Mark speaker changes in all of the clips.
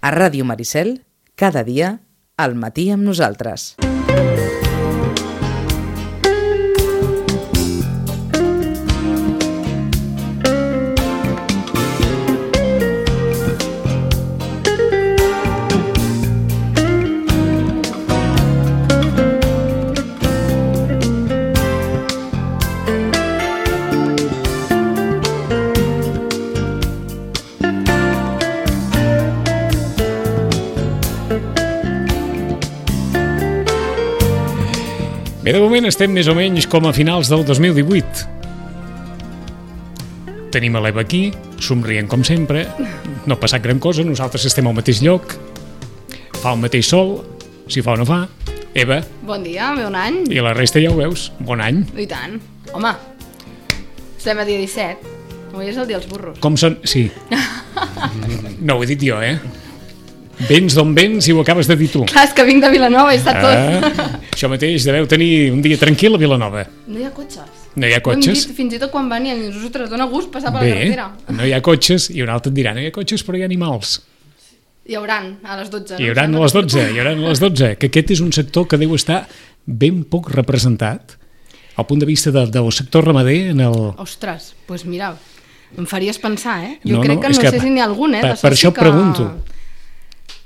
Speaker 1: A Ràdio Maricel, cada dia, al matí amb nosaltres.
Speaker 2: Bé, de moment estem més o menys com a finals del 2018. Tenim a l'Eva aquí, somrient com sempre, no ha passat gran cosa, nosaltres estem al mateix lloc, fa el mateix sol, si fa o no fa. Eva.
Speaker 3: Bon dia, bon any.
Speaker 2: I la resta ja ho veus, bon any.
Speaker 3: I tant. Home, estem a dia 17, avui és el dia dels burros.
Speaker 2: Com són? Sí. No ho he dit jo, Vens d'on vens i ho acabes de dir tu.
Speaker 3: Clar, és que vinc de Vilanova i està tot.
Speaker 2: Això mateix, deveu tenir un dia tranquil a Vilanova.
Speaker 3: No hi ha cotxes.
Speaker 2: No hi ha cotxes?
Speaker 3: Ho hem dit fins i tot quan venien, ostres, dona gust passar per la carretera.
Speaker 2: No hi ha cotxes, i un altre et dirà, no hi ha cotxes però hi ha animals.
Speaker 3: Hi hauran a les 12.
Speaker 2: Hi hauran a les 12, que aquest és un sector que deu estar ben poc representat al punt de vista del sector ramader en el...
Speaker 3: Ostres, doncs mira, em faries pensar, Jo crec que no sé si n'hi ha algun,
Speaker 2: Per això et pregunto.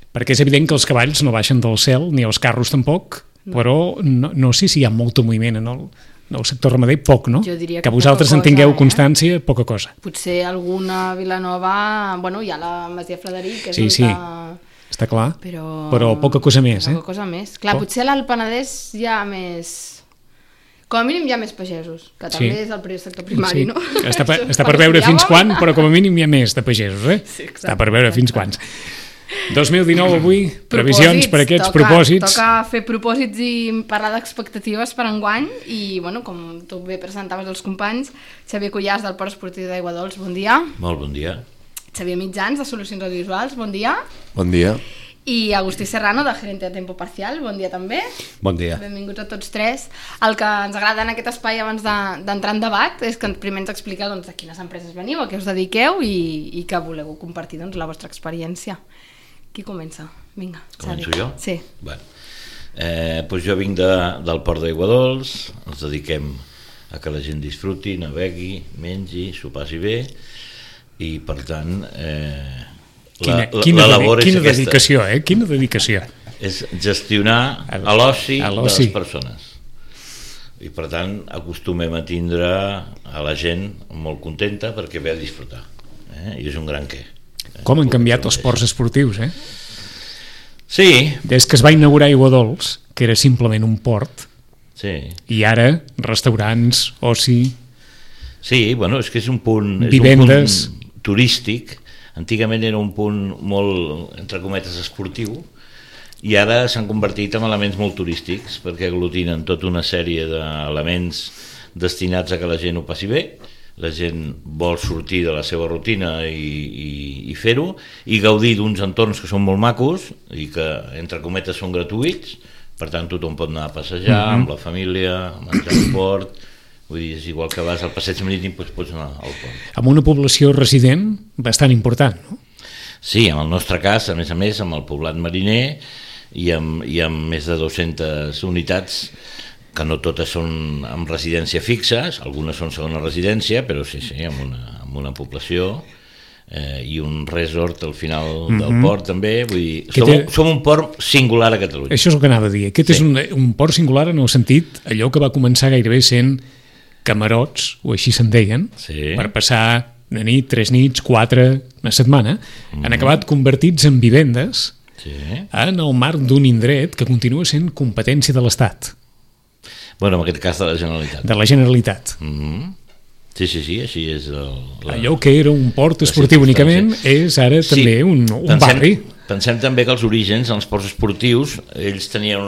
Speaker 2: Perquè és evident que els cavalls no baixen del cel, ni els carros tampoc, però no sé si hi ha molt moviment en el sector ramader, poc, no?
Speaker 3: Jo diria
Speaker 2: que vosaltres en tingueu constància, poca cosa.
Speaker 3: Potser alguna Vilanova, bueno, hi ha la Masia Frederic, que és
Speaker 2: sí, està clar, però poca cosa més,
Speaker 3: Poca cosa més. Clar, potser a l'Alt Penedès hi ha més... Com a mínim hi ha més pagesos, que també és el sector primari, no?
Speaker 2: Està per veure fins quan, però com a mínim hi ha més de pagesos,
Speaker 3: Sí, exacte.
Speaker 2: Està per veure fins quants. 2019 avui, previsions per aquests propòsits.
Speaker 3: Toca fer propòsits i parlar d'expectatives per enguany i, bueno, com tu bé presentaves els companys, Xavier Cuyàs del Port Esportiu d'Aigua Dols, bon dia.
Speaker 4: Molt bon dia.
Speaker 3: Xavier Mitjans de Solucions Audiovisuals, bon dia.
Speaker 5: Bon dia.
Speaker 3: I Agustí Serrano de Gerente de Tempo Parcial, bon dia també.
Speaker 5: Bon dia.
Speaker 3: Benvinguts a tots tres. El que ens agrada en aquest espai abans d'entrar en debat és que primer ens expliqueu de quines empreses veniu, a què us dediqueu i que voleu compartir la vostra experiència. Qui comença? Vinga, Xavi.
Speaker 4: Començo jo?
Speaker 3: Sí.
Speaker 4: Bueno, doncs jo vinc del Port d'Aigua Dols, ens dediquem a que la gent disfruti, navegui, mengi, s'ho passi bé i per tant la labor és aquesta.
Speaker 2: Quina dedicació.
Speaker 4: És gestionar l'oci de les persones. I per tant acostumem a tindre a la gent molt contenta perquè ve a disfrutar. I és un gran què.
Speaker 2: Com han canviat els ports esportius,
Speaker 4: Sí.
Speaker 2: Des que es va inaugurar Aigua Dols, que era simplement un port, i ara restaurants, oci...
Speaker 4: Sí, bueno, és que és un punt
Speaker 2: vivendes,
Speaker 4: turístic. Antigament era un punt molt, entre cometes, esportiu, i ara s'han convertit en elements molt turístics perquè aglutinen tota una sèrie d'elements destinats a que la gent ho passi bé. La gent vol sortir de la seva rutina i fer-ho i gaudir d'uns entorns que són molt macos i que, entre cometes, són gratuïts. Per tant, tothom pot anar a passejar amb la família, a menjar al port. Vull dir, és igual que vas al passeig marítim, doncs pots anar al port.
Speaker 2: Amb una població resident bastant important, no?
Speaker 4: Sí, en el nostre cas, a més, amb el poblat mariner i amb més de 200 unitats que no totes són amb residència fixes, algunes són segona residència, però sí, amb una població i un resort al final del port també, vull dir, som un port singular a Catalunya.
Speaker 2: Això és el que anava a dir, aquest és un port singular en el sentit, allò que va començar gairebé sent camarots, o així se'n deien, per passar una nit, 3 nits, 4, una setmana, han acabat convertits en vivendes en el marc d'un indret que continua sent competència de l'Estat.
Speaker 4: Bueno, en aquest cas de la Generalitat.
Speaker 2: De la Generalitat.
Speaker 4: Sí, així és.
Speaker 2: Allò que era un port esportiu únicament és ara també un barri.
Speaker 4: Pensem també que els orígens, els ports esportius, ells tenien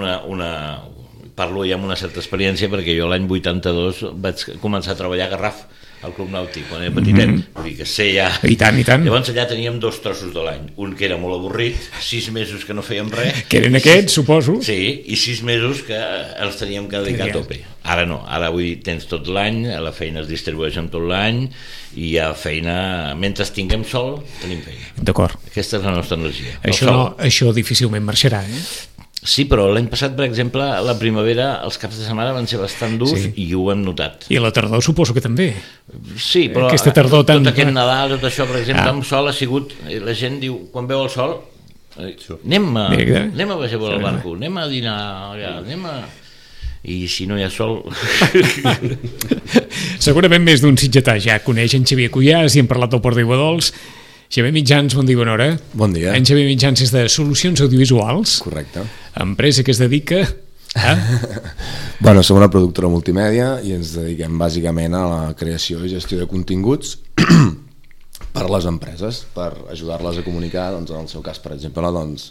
Speaker 4: parlo ja amb una certa experiència perquè jo l'any 82 vaig començar a treballar a Garraf, al Club Nàutic, quan era petitet, vull dir que sé ja...
Speaker 2: I tant.
Speaker 4: Llavors allà teníem 2 trossos de l'any, un que era molt avorrit, 6 mesos que no fèiem res...
Speaker 2: Que eren aquests, suposo.
Speaker 4: Sí, i 6 mesos que els teníem que dedicar a tope. Ara no, ara vull dir, tens tot l'any, la feina es distribueix en tot l'any i hi ha feina, mentre tinguem sol tenim feina.
Speaker 2: D'acord.
Speaker 4: Aquesta és la nostra energia.
Speaker 2: Això difícilment marxarà,
Speaker 4: Sí, però l'any passat, per exemple, a la primavera els caps de setmana van ser bastant durs i ho hem notat.
Speaker 2: I la tardor suposo que també.
Speaker 4: Sí, però
Speaker 2: aquesta tardor
Speaker 4: tot aquest Nadal, tot això, per exemple, amb sol ha sigut, la gent diu, quan veu el sol, anem a baixar per al barco, anem a dinar allà, anem a... I si no hi ha sol...
Speaker 2: Segurament més d'un sitgetà ja coneix en Xavier Cuyàs i hem parlat del Port d'Iguadols. Xavier Mitjans, bon dia, bona hora.
Speaker 5: Bon dia.
Speaker 2: En Xavier Mitjans és de Solucions Audiovisuals.
Speaker 5: Correcte.
Speaker 2: Empresa que es dedica a...
Speaker 5: Bueno, som una productora multimèdia i ens dediquem bàsicament a la creació i gestió de continguts per a les empreses, per ajudar-les a comunicar, doncs, en el seu cas, per exemple, doncs,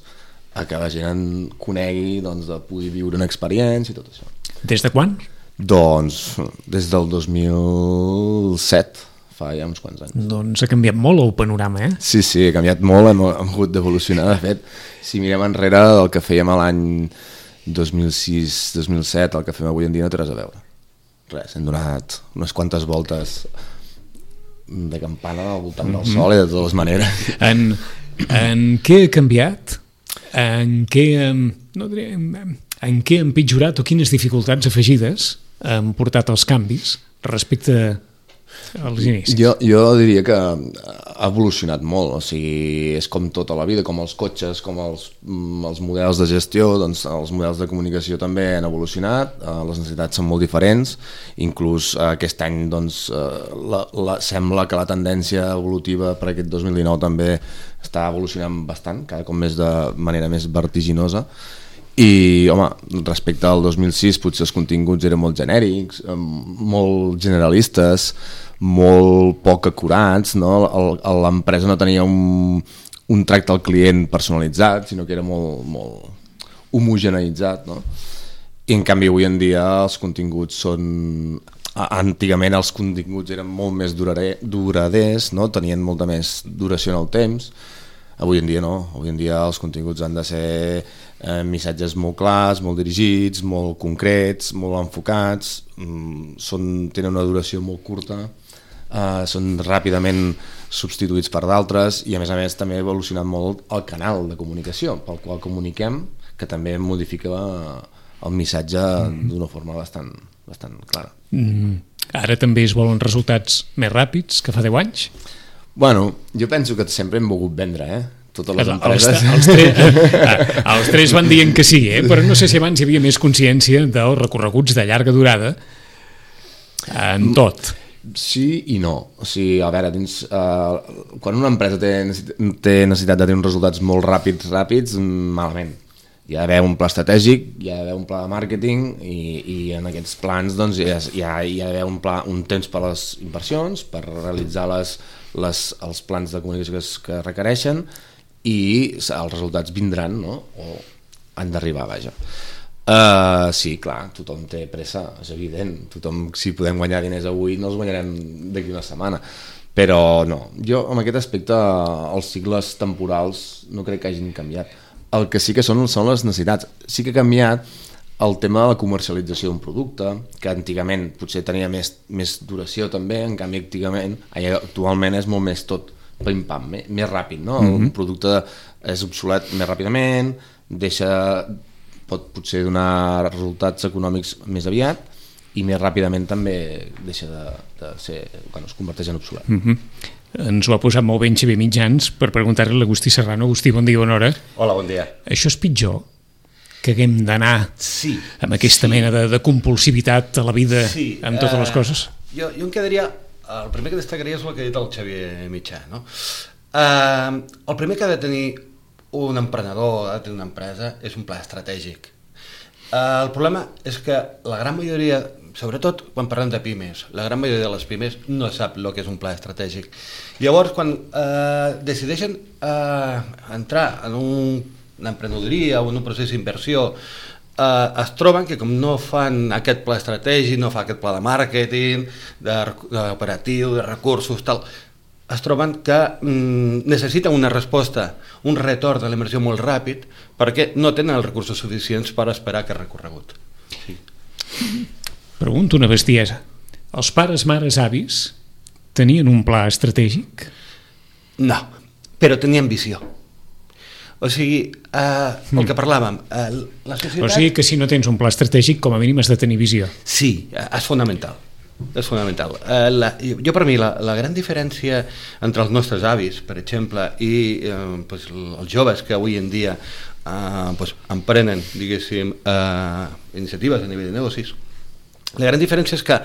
Speaker 5: a que la gent conegui, doncs, de poder viure una experiència i tot això.
Speaker 2: Des de quan?
Speaker 5: Doncs des del 2007, fa ja uns quants anys.
Speaker 2: Doncs ha canviat molt el panorama,
Speaker 5: Sí, ha canviat molt, hem hagut d'evolucionar. De fet, si mirem enrere del que fèiem a l'any 2006-2007, el que fem avui en dia no té res a veure. Res, hem donat unes quantes voltes de campana al voltant del sol i de totes les maneres.
Speaker 2: En què ha canviat? En què ha empitjorat o quines dificultats afegides han portat els canvis respecte als inicis?
Speaker 5: Jo diria que ha evolucionat molt, o sigui, és com tota la vida, com els cotxes, com els models de gestió, doncs els models de comunicació també han evolucionat, les necessitats són molt diferents, inclús aquest any doncs, sembla que la tendència evolutiva per aquest 2019 també està evolucionant bastant, cada cop més de manera més vertiginosa. I, home, respecte al 2006 potser els continguts eren molt genèrics, molt generalistes, molt poc acurats, no? L'empresa no tenia un tracte al client personalitzat, sinó que era molt homogeneïtzat, no? I en canvi avui en dia els continguts són... Antigament els continguts eren molt més duraders, no? Tenien molta més duració en el temps. Avui en dia no, avui en dia els continguts han de ser missatges molt clars, molt dirigits, molt concrets, molt enfocats, tenen una duració molt curta, són ràpidament substituïts per d'altres i a més també ha evolucionat molt el canal de comunicació pel qual comuniquem, que també modifica el missatge d'una forma bastant clara.
Speaker 2: Ara també es volen resultats més ràpids que fa 10 anys?
Speaker 5: Bueno, jo penso que sempre hem volgut vendre, totes les empreses.
Speaker 2: Els tres van dient que sí, però no sé si abans hi havia més consciència dels recorreguts de llarga durada en tot.
Speaker 5: Sí i no. O sigui, a veure, quan una empresa té necessitat de tenir uns resultats molt ràpids, malament. Hi ha d'haver un pla estratègic, hi ha d'haver un pla de màrqueting i en aquests plans doncs, hi ha d'haver un temps per a les inversions, per realitzar els plans de comunicació que requereixen i els resultats vindran, no? O han d'arribar, vaja. Sí, clar, tothom té pressa, és evident. Si podem guanyar diners avui no els guanyarem d'aquí una setmana, però no, jo en aquest aspecte els cicles temporals no crec que hagin canviat. El que sí que són les necessitats. Sí que ha canviat el tema de la comercialització d'un producte, que antigament potser tenia més duració també, en canvi actualment és molt més tot pim-pam, més ràpid, no? El producte és obsolet més ràpidament, pot potser donar resultats econòmics més aviat i més ràpidament també deixa de ser, es converteix en obsolet.
Speaker 2: Ens ho ha posat molt bé en Xavier Mitjans per preguntar-li a l'Agustí Serrano. Agustí, bon dia, bona hora.
Speaker 6: Hola, bon dia.
Speaker 2: Això és pitjor que haguem d'anar amb aquesta mena de compulsivitat a la vida amb totes les coses?
Speaker 6: Jo em quedaria... El primer que destacaria és el que ha dit el Xavier Mitjà, no? El primer que ha de tenir un emprenedor, ha de tenir una empresa, és un pla estratègic. El problema és que la gran majoria, sobretot quan parlem de pimes, la gran majoria de les pimes no sap el que és un pla estratègic. Llavors, quan decideixen entrar en una emprenedoria o en un procés d'inversió, es troben que com no fan aquest pla estratègic, no fa aquest pla de màrqueting, d'operatiu, de recursos, tal, es troben que necessiten una resposta, un retorn de la inversió molt ràpid, perquè no tenen els recursos suficients per esperar aquest recorregut.
Speaker 2: Pregunto una bestiesa. Els pares, mares, avis tenien un pla estratègic?
Speaker 6: No, però tenien visió. O sigui, el que parlàvem, la societat...
Speaker 2: O sigui que si no tens un pla estratègic, com a mínim has de tenir visió.
Speaker 6: Sí, és fonamental. És fonamental. Jo per mi la gran diferència entre els nostres avis, per exemple, i els joves que avui en dia emprenen, diguéssim, iniciatives a nivell de negocis, la gran diferència és que,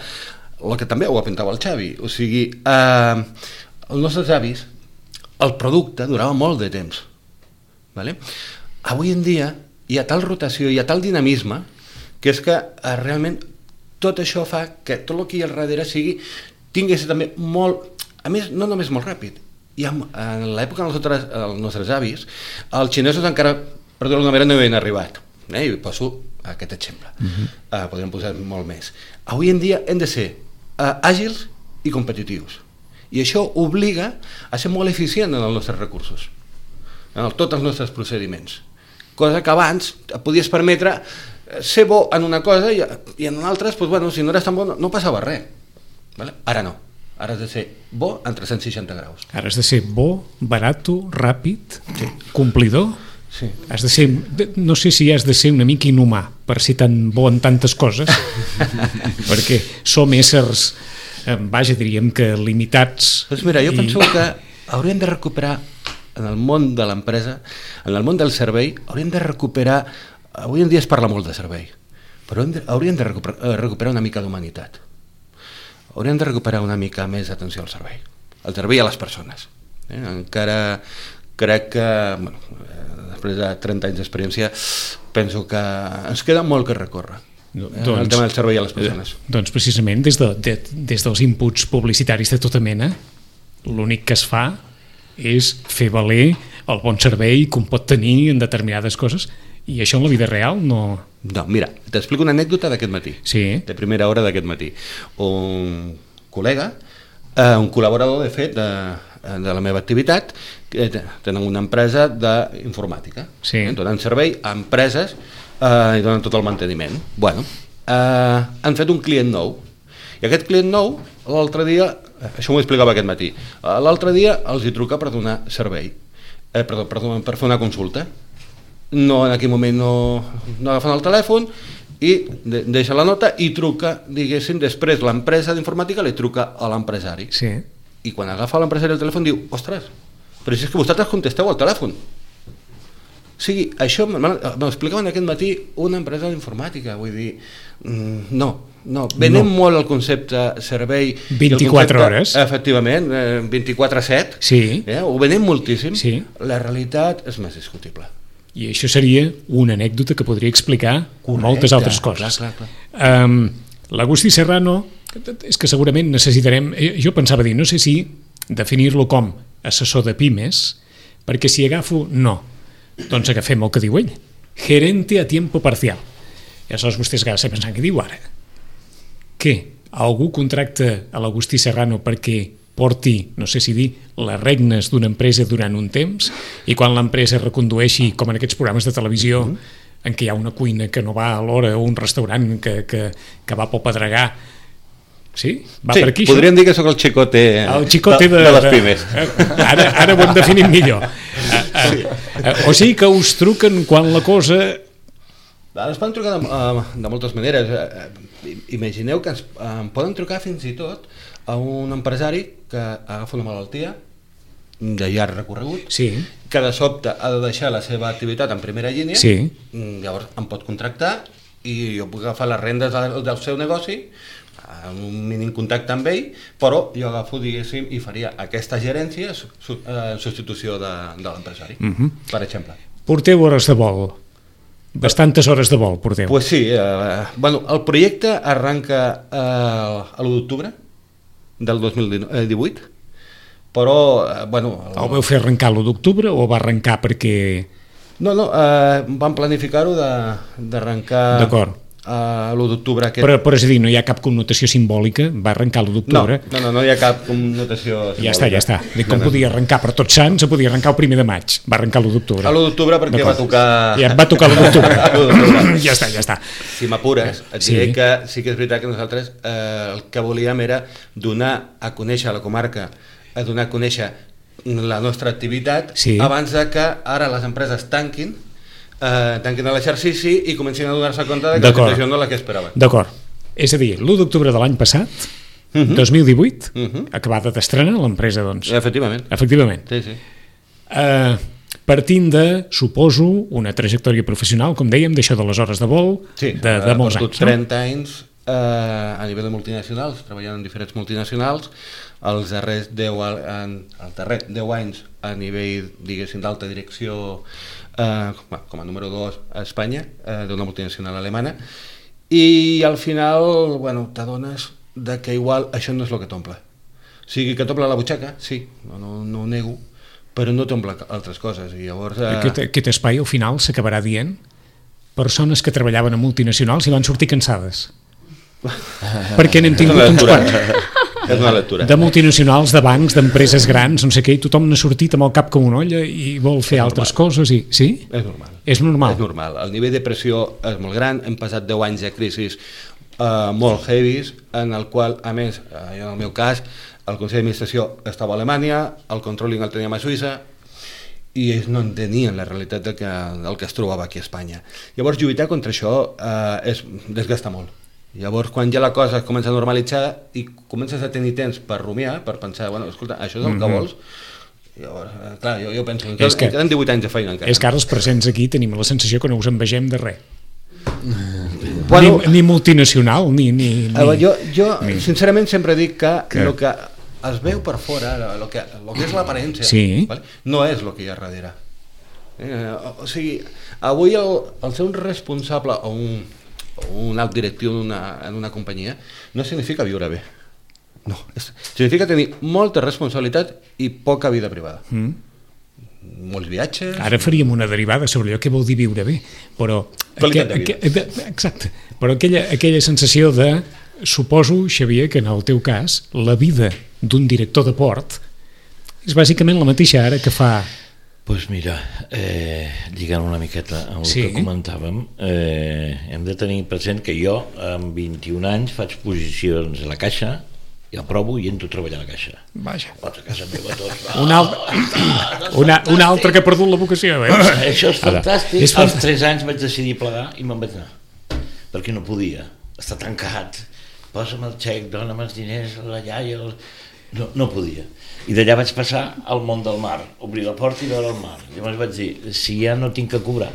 Speaker 6: el que també ho apuntava el Xavi, o sigui, els nostres avis, el producte durava molt de temps. Vale? Avui en dia hi ha tal rotació, hi ha tal dinamisme, que és que realment tot això fa que tot el que hi ha al darrere tingués també molt, a més, no només molt ràpid. En l'època dels nostres avis, els xinesos encara, per dir-ho d'una manera, no hi havien arribat. I poso aquest exemple. Podríem posar molt més. Avui en dia hem de ser àgils i competitius. I això obliga a ser molt eficient en els nostres recursos, en tots els nostres procediments. Cosa que abans et podies permetre ser bo en una cosa i en altres, doncs, bueno, si no eres tan bo no passava res. Vale? Ara no. Ara has de ser bo en 360 graus.
Speaker 2: Ara has de ser bo, barato, ràpid, complidor.
Speaker 6: Sí.
Speaker 2: Has de ser, no sé si has de ser una mica inhumà per ser tan bo en tantes coses, perquè som éssers, vaja, diríem que limitats.
Speaker 6: Doncs mira, jo penso que hauríem de recuperar en el món de l'empresa, en el món del servei, hauríem de recuperar, avui en dia es parla molt de servei, però hauríem de recuperar una mica d'humanitat. Hauríem de recuperar una mica més d'atenció al servei a les persones. Encara crec que, bueno, després de 30 anys d'experiència, penso que ens queda molt que recórrer. El tema del servei a les persones.
Speaker 2: Doncs precisament des dels inputs publicitaris de tota mena, l'únic que es fa és fer valer el bon servei que un pot tenir en determinades coses, i això en la vida real no...
Speaker 6: No, mira, t'explico una anècdota d'aquest matí, de primera hora d'aquest matí. Un col·lega, un col·laborador, de fet, de la meva activitat, que tenen una empresa d'informàtica, donen servei a empreses i donen tot el manteniment. Bueno, han fet un client nou, i aquest client nou, l'altre dia, això m'ho explicava aquest matí, l'altre dia els hi truca per donar servei, per fer una consulta. No, en aquell moment no agafen el telèfon i deixa la nota i truca, diguéssim, després l'empresa d'informàtica li truca a l'empresari.
Speaker 2: Sí.
Speaker 6: I quan agafa l'empresari el telèfon diu, ostres, però si és que vosaltres contesteu al telèfon. O sigui, això m'explicaven aquest matí una empresa d'informàtica, vull dir, no, venem molt el concepte servei...
Speaker 2: 24 hores.
Speaker 6: Efectivament, 24/7, ho venem moltíssim, la realitat és més discutible.
Speaker 2: I això seria una anècdota que podria explicar moltes altres coses.
Speaker 6: Clar.
Speaker 2: L'Agustí Serrano, és que segurament necessitarem... Jo pensava dir, no sé si definir-lo com assessor de pimes, perquè si agafo, no. Doncs agafem el que diu ell. Gerente a tiempo parcial. I aleshores vostès agafen pensant, què diu ara? Què? Algú contracta a l'Agustí Serrano perquè porti, no sé si dir, les regnes d'una empresa durant un temps, i quan l'empresa recondueixi, com en aquests programes de televisió, en què hi ha una cuina que no va a l'hora o un restaurant que va pel pedregar. Sí? Va per aquí,
Speaker 6: podríem dir que sóc el xicote de les pimes.
Speaker 2: Ara ho hem definit millor. O sigui que us truquen quan la cosa...
Speaker 6: Ens poden trucar de moltes maneres. Imagineu que ens poden trucar fins i tot a un empresari que agafa una malaltia de llarg recorregut, que de sobte ha de deixar la seva activitat en primera línia, llavors em pot contractar i jo puc agafar les rendes del seu negoci, amb un mínim contacte amb ell, però jo agafo, diguéssim, i faria aquesta gerència en substitució de l'empresari, per exemple.
Speaker 2: Porteu hores de vol. Bastantes hores de vol porteu.
Speaker 6: Pues sí, el projecte arranca a l'1 d'octubre del 2018, però...
Speaker 2: El vau fer arrencar l'1 d'octubre o va arrencar perquè...
Speaker 6: No, vam planificar-ho d'arrencar l'1 d'octubre aquest...
Speaker 2: Però és a dir, no hi ha cap connotació simbòlica, va arrencar l'1 d'octubre.
Speaker 6: No hi ha cap connotació simbòlica.
Speaker 2: Ja està. Dic, com podia arrencar per Tots Sants, se podia arrencar el 1 de maig, va arrencar l'1 d'octubre.
Speaker 6: L'1 d'octubre perquè va tocar...
Speaker 2: Ja va tocar l'1 d'octubre. Ja està.
Speaker 6: Si m'apures, et diré que sí que és veritat que nosaltres el que volíem era donar a conèixer a la comarca, a donar a conèixer la nostra activitat abans de que ara les empreses tanquin l'exercici i comencin a donar-se compte que la situació no és la que esperaven.
Speaker 2: D'acord. És a dir, l'1 d'octubre de l'any passat, 2018, acabada d'estrenar l'empresa, doncs.
Speaker 6: Efectivament. Sí.
Speaker 2: Partint de, suposo, una trajectòria professional, com dèiem, d'això de les hores de vol, de molts anys.
Speaker 6: 30 anys a nivell de multinacionals, treballant en diferents multinacionals, els darrers 10 anys a nivell, diguéssim, d'alta direcció com a número 2 a Espanya, d'una multinacional alemana, i al final t'adones que igual això no és el que t'omple. O sigui, que t'omple la butxaca, sí, no ho nego, però no t'omple altres coses. I llavors,
Speaker 2: aquest espai al final s'acabarà dient persones que treballaven a multinacionals i van sortir cansades. Perquè n'hem tingut uns quants.
Speaker 6: És una lectura.
Speaker 2: De multinacionals, de bancs, d'empreses grans, no sé què, i tothom n'ha sortit amb el cap com una olla i vol fer altres coses. Sí?
Speaker 6: És normal.
Speaker 2: És
Speaker 6: normal. El nivell de pressió és molt gran, hem passat 10 anys de crisis molt heavies, en el qual, a més, en el meu cas, el Consell d'Administració estava a Alemanya, el controlling el teníem a Suïssa, i ells no entenien la realitat del que es trobava aquí a Espanya. Llavors, lluitar contra això desgasta molt. Llavors, quan ja la cosa es comença a normalitzar i comences a tenir temps per rumiar, per pensar, escolta, això és el que vols, llavors, clar, jo penso que queden 18 anys de feina encara.
Speaker 2: És que ara els presents aquí tenim la sensació que no us envegem de res. Ni multinacional, ni...
Speaker 6: Jo sincerament sempre dic que el que es veu per fora, el que és l'aparència, no és el que hi ha darrere. O sigui, avui el ser un responsable o un alt directiu en una companyia no significa viure bé, no, significa tenir molta responsabilitat i poca vida privada. Molts viatges.
Speaker 2: Ara faríem una derivada sobre allò que vol dir viure bé, però exacte, però aquella sensació de, suposo, Xavier, que en el teu cas la vida d'un director de port és bàsicament la mateixa ara que fa...
Speaker 4: Doncs mira, lligant una miqueta amb el que comentàvem, hem de tenir present que jo amb 21 anys faig posicions a la caixa, i aprovo i entro a treballar a la caixa.
Speaker 2: Vaja.
Speaker 4: A casa meva tots.
Speaker 2: Un altre que ha perdut la vocació.
Speaker 4: Això és fantàstic. Als 3 anys vaig decidir plegar i me'n vaig anar, perquè no podia, està tancat, posa'm el xec, dona'm els diners, la iaia... No podia. I d'allà vaig passar al món del mar, obrir la porta i veure el mar. Llavors vaig dir, si ja no tinc que cobrar,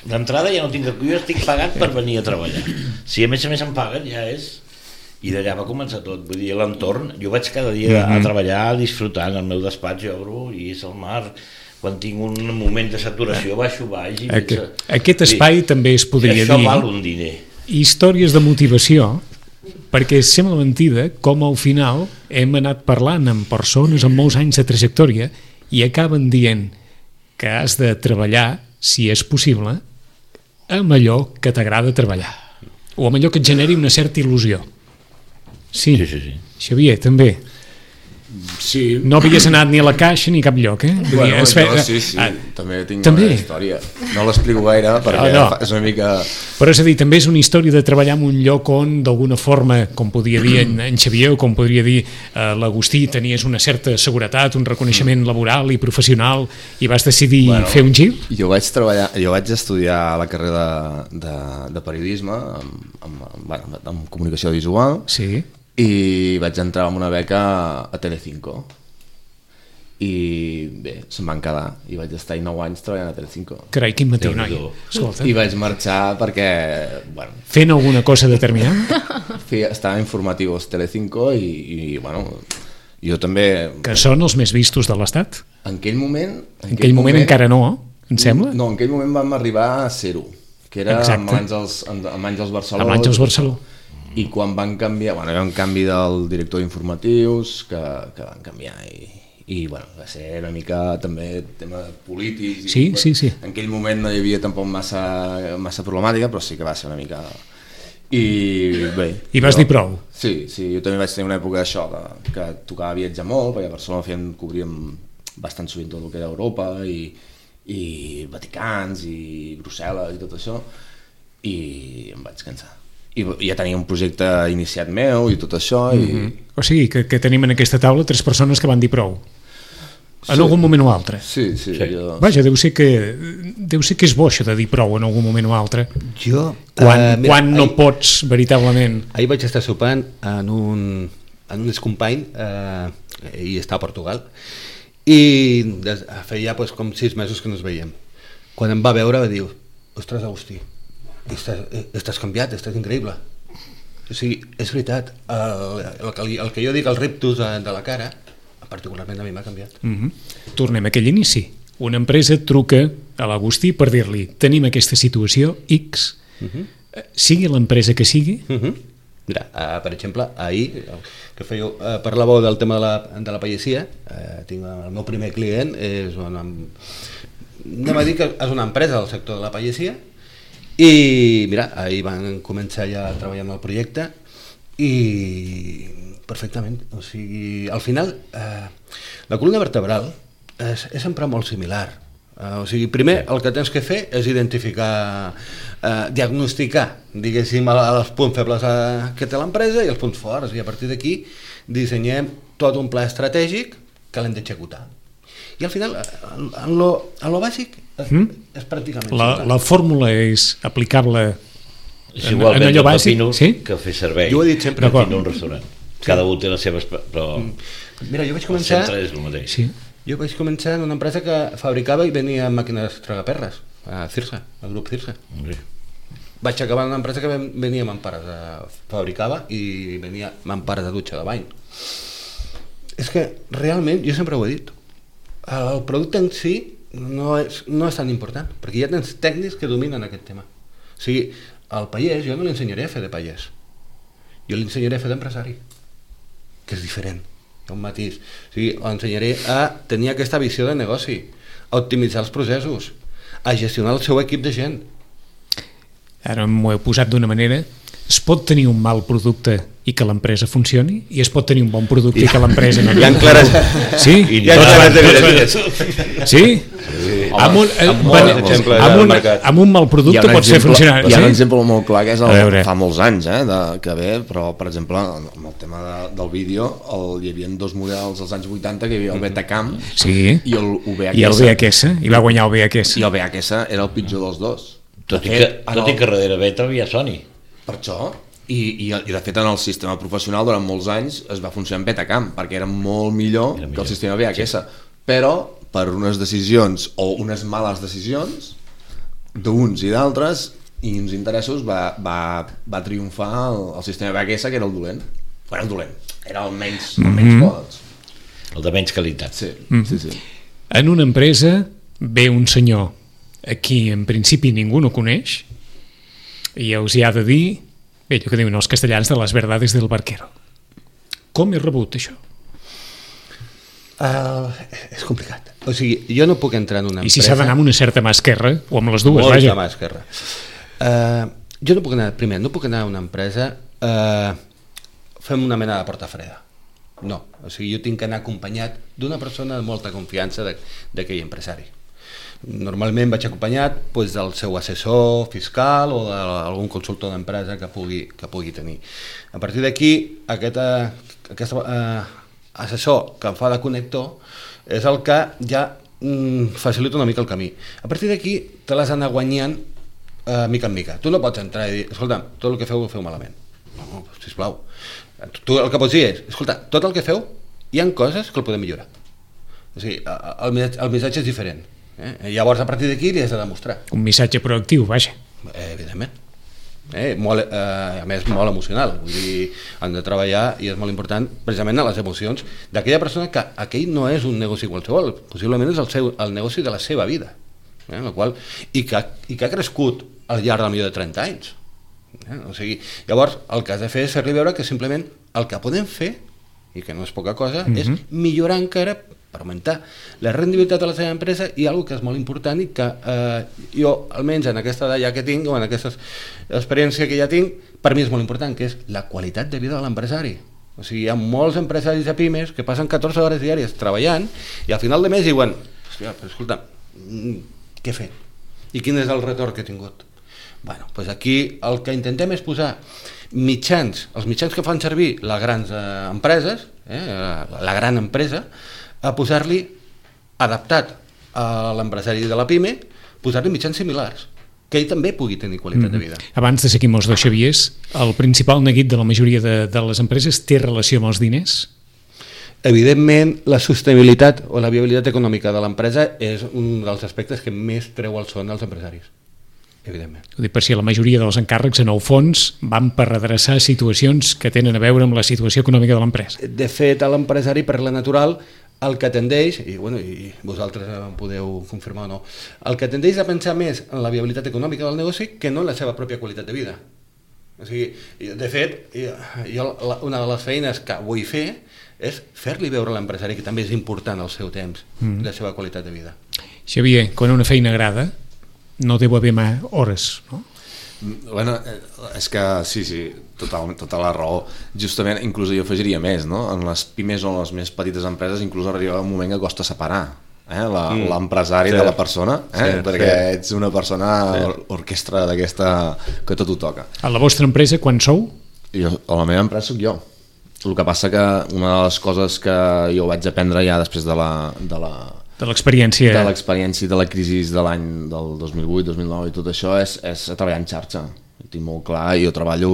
Speaker 4: d'entrada ja no tinc que cobrar, jo estic pagat per venir a treballar. Si a més em paguen, ja és... I d'allà va començar tot, vull dir, l'entorn, jo vaig cada dia a treballar, disfrutant, el meu despatx jo obro i és el mar, quan tinc un moment de saturació baixo baix...
Speaker 2: Aquest espai també es podria dir...
Speaker 4: I això val un diner.
Speaker 2: Històries de motivació, perquè sembla mentida com al final hem anat parlant amb persones amb molts anys de trajectòria i acaben dient que has de treballar, si és possible, amb allò que t'agrada treballar o amb allò que et generi una certa il·lusió. Sí. Xavier, també.
Speaker 5: Sí.
Speaker 2: No havies anat ni a la caixa ni a cap lloc, eh?
Speaker 5: Bueno, sí. També tinc una història. No l'explico gaire perquè és una mica...
Speaker 2: Però és a dir, també és una història de treballar en un lloc on, d'alguna forma, com podria dir en Xavier o com podria dir l'Agustí, tenies una certa seguretat, un reconeixement laboral i professional i vas decidir fer un gir?
Speaker 5: Jo vaig estudiar la carrera de periodisme amb comunicació visual.
Speaker 2: Sí.
Speaker 5: I vaig entrar amb una beca a Telecinco i bé, se'm van quedar i vaig estar 9 anys treballant a Telecinco.
Speaker 2: Carai, quin matí, noi.
Speaker 5: I vaig marxar perquè
Speaker 2: fent alguna cosa determinada?
Speaker 5: Estava informatius Telecinco i jo també...
Speaker 2: Que són els més vistos de l'Estat?
Speaker 5: En aquell moment
Speaker 2: encara no, em sembla?
Speaker 5: No, en aquell moment vam arribar a 0, que era amb Àngels Barceló.
Speaker 2: Amb Àngels Barceló.
Speaker 5: I quan van canviar, hi ha un canvi del director d'informatius que van canviar i va ser una mica també tema polític.
Speaker 2: Sí.
Speaker 5: En aquell moment no hi havia tampoc massa problemàtica, però sí que va ser una mica I bé...
Speaker 2: I vas dir prou?
Speaker 5: Sí, jo també vaig tenir una època d'això, que tocava viatjar molt, perquè a Barcelona cobríem bastant sovint tot el que era Europa, i Vaticans, i Brussel·les, i tot això, i em vaig cansar. I ja tenia un projecte iniciat meu i tot això.
Speaker 2: O sigui, que tenim en aquesta taula 3 persones que van dir prou. En algun moment o altre.
Speaker 5: Sí.
Speaker 2: Vaja, deu ser que és bo això de dir prou en algun moment o altre. Quan no pots, veritablement.
Speaker 6: Ahir vaig estar sopant en un excompany, i està a Portugal, i feia com 6 mesos que no ens veiem. Quan em va veure va dir: ostres, Agustí, estàs canviat, estàs increïble. O sigui, és veritat, el que jo dic, el rictus de la cara, particularment a mi m'ha canviat.
Speaker 2: Tornem a aquell inici. Una empresa truca a l'Agustí per dir-li: tenim aquesta situació X, sigui l'empresa que sigui.
Speaker 6: Mira, per exemple, ahir que parlàveu del tema de la pagesia, tinc el meu primer client, anem a dir que és una empresa del sector de la pagesia, i mira, ahir van començar ja a treballar en el projecte i perfectament, o sigui, al final la columna vertebral és sempre molt similar, o sigui, primer el que tens que fer és identificar, diagnosticar, diguéssim, els punts febles que té l'empresa i els punts forts, i a partir d'aquí dissenyem tot un pla estratègic que l'hem d'executar. I al final, en lo bàsic, és pràcticament
Speaker 2: la fórmula és aplicable
Speaker 4: és igualment
Speaker 2: en allò bàsic,
Speaker 4: sí? Que fer servei.
Speaker 6: Jo ho he dit sempre.
Speaker 4: En un restaurant. Cada un té les seves... Però
Speaker 6: mira, jo vaig començar...
Speaker 4: El centre és el mateix.
Speaker 2: Sí.
Speaker 6: Jo vaig començar en una empresa que fabricava i venia màquines tragaperres, a Cirsa, al grup Cirsa. Vaig acabar en una empresa que venia mampares, fabricava i venia mampares de dutxa de bany. És que realment, jo sempre ho he dit, el producte en si no és tan important, perquè ja tens tècnics que dominen aquest tema. O sigui, al pagès jo no l'ensenyaré a fer de pagès, jo l'ensenyaré a fer d'empresari, que és diferent, hi ha un matís. O sigui, l'ensenyaré a tenir aquesta visió de negoci, a optimitzar els processos, a gestionar el seu equip de gent.
Speaker 2: Ara m'ho he posat d'una manera. Es pot tenir un mal producte i que l'empresa funcioni, i es pot tenir un bon producte i que l'empresa no...
Speaker 6: Hi ha clares...
Speaker 2: Sí? Sí? Amb un mal producte pot ser funcionari.
Speaker 5: Hi ha un exemple molt clar que és fa molts anys, que ve, però per exemple amb el tema del vídeo hi havia 2 models als anys 80, que hi havia el Betacam i el
Speaker 2: VHS, i va guanyar el VHS.
Speaker 5: I el VHS era el pitjor dels dos.
Speaker 4: Tot i que darrere Beta havia Sony.
Speaker 5: Per això, i de fet en el sistema professional durant molts anys es va funcionar en Betacam, perquè era molt millor que el sistema VHS, però per unes decisions o unes males decisions d'uns i d'altres i uns interessos va triomfar el sistema VHS, que era el dolent. Era el dolent, era el menys pods.
Speaker 4: El de menys qualitat.
Speaker 5: Sí.
Speaker 2: En una empresa ve un senyor a qui en principi ningú no coneix i us hi ha de dir, allò que diuen els castellans, de les verdades del barquero. Com és rebut això?
Speaker 6: És complicat. O sigui, jo no puc entrar en una empresa...
Speaker 2: I si s'ha d'anar amb una certa mà esquerra, o amb les dues,
Speaker 6: vaja.
Speaker 2: Molta
Speaker 6: mà esquerra. Jo no puc anar a una empresa fem una mena de porta freda. No, o sigui, jo tinc que anar acompanyat d'una persona de molta confiança d'aquell empresari. Normalment vaig acompanyat del seu assessor fiscal o d'algun consultor d'empresa que pugui tenir. A partir d'aquí, aquest assessor que em fa de connector és el que ja facilita una mica el camí. A partir d'aquí te l'has d'anar guanyant mica en mica. Tu no pots entrar i dir, escolta, tot el que feu ho feu malament. No, sisplau. Tu el que pots dir és, escolta, tot el que feu hi ha coses que el podem millorar. O sigui, el missatge és diferent. Llavors a partir d'aquí li has de demostrar
Speaker 2: un missatge proactiu, vaja.
Speaker 6: Evidentment, a més molt emocional, vull dir, han de treballar i és molt important precisament a les emocions d'aquella persona que aquell no és un negoci qualsevol, possiblement és el negoci de la seva vida, i que ha crescut al llarg del millor de 30 anys. O sigui, llavors el que has de fer és fer-li veure que simplement el que podem fer, i que no és poca cosa, és millorar encara augmentar la rendibilitat de la seva empresa, i una que és molt important i que jo, almenys en aquesta edat ja que tinc, o en aquesta experiència que ja tinc, per mi és molt important, que és la qualitat de vida de l'empresari. O sigui, hi ha molts empresaris de pimes que passen 14 hores diàries treballant i al final de mes diuen, hòstia, però escolta, què he fet? I quin és el retorn que he tingut? Bueno, doncs aquí el que intentem és posar mitjans, els mitjans que fan servir les grans empreses, la gran empresa, a posar-li, adaptat a l'empresari de la PIME, posar-li mitjans similars, que ell també pugui tenir qualitat de vida.
Speaker 2: Abans de seguir amb els dos Xaviers, el principal neguit de la majoria de les empreses té relació amb els diners?
Speaker 6: Evidentment, la sostenibilitat o la viabilitat econòmica de l'empresa és un dels aspectes que més treu el son als empresaris. Evidentment.
Speaker 2: Ho dic per si la majoria dels encàrrecs en el fons van per redreçar situacions que tenen a veure amb la situació econòmica de l'empresa.
Speaker 6: De fet, a l'empresari, per la natural, el que tendeix, i vosaltres em podeu confirmar o no, el que tendeix a pensar més en la viabilitat econòmica del negoci que no en la seva pròpia qualitat de vida. O sigui, de fet, jo una de les feines que vull fer és fer-li veure a l'empresari que també és important el seu temps, la seva qualitat de vida.
Speaker 2: Xavier, quan una feina agrada, no deu haver mai hores, no?
Speaker 5: Bueno, és que sí, tota la raó. Justament, inclús jo afegiria més, no? En les pimes o les més petites empreses inclús arriba un moment que costa separar l'empresari de la persona, perquè ets una persona orquestra d'aquesta que tot ho toca.
Speaker 2: A la vostra empresa, quan sou?
Speaker 5: A la meva empresa soc jo. El que passa que una de les coses que jo vaig aprendre ja després de
Speaker 2: l'experiència
Speaker 5: de la crisi de l'any del 2008, 2009 i tot això és treballar en xarxa. Ho tinc molt clar, jo treballo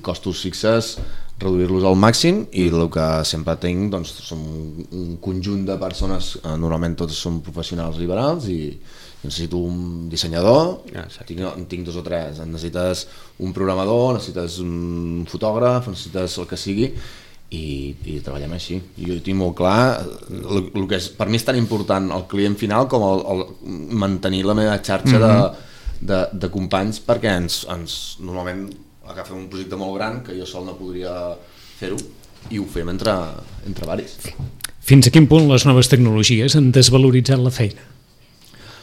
Speaker 5: costos fixes, reduir-los al màxim, i el que sempre tinc doncs, som un conjunt de persones, normalment tots som professionals liberals, i necessito un dissenyador, tinc 2 o 3, necessites un programador, necessites un fotògraf, necessites el que sigui, i treballem així. Jo tinc molt clar el que és, per mi és tan important el client final com el mantenir la meva xarxa de companys, perquè normalment agafem un projecte molt gran que jo sol no podria fer-ho i ho fem entre varis.
Speaker 2: Fins a quin punt les noves tecnologies han desvaloritzat la feina?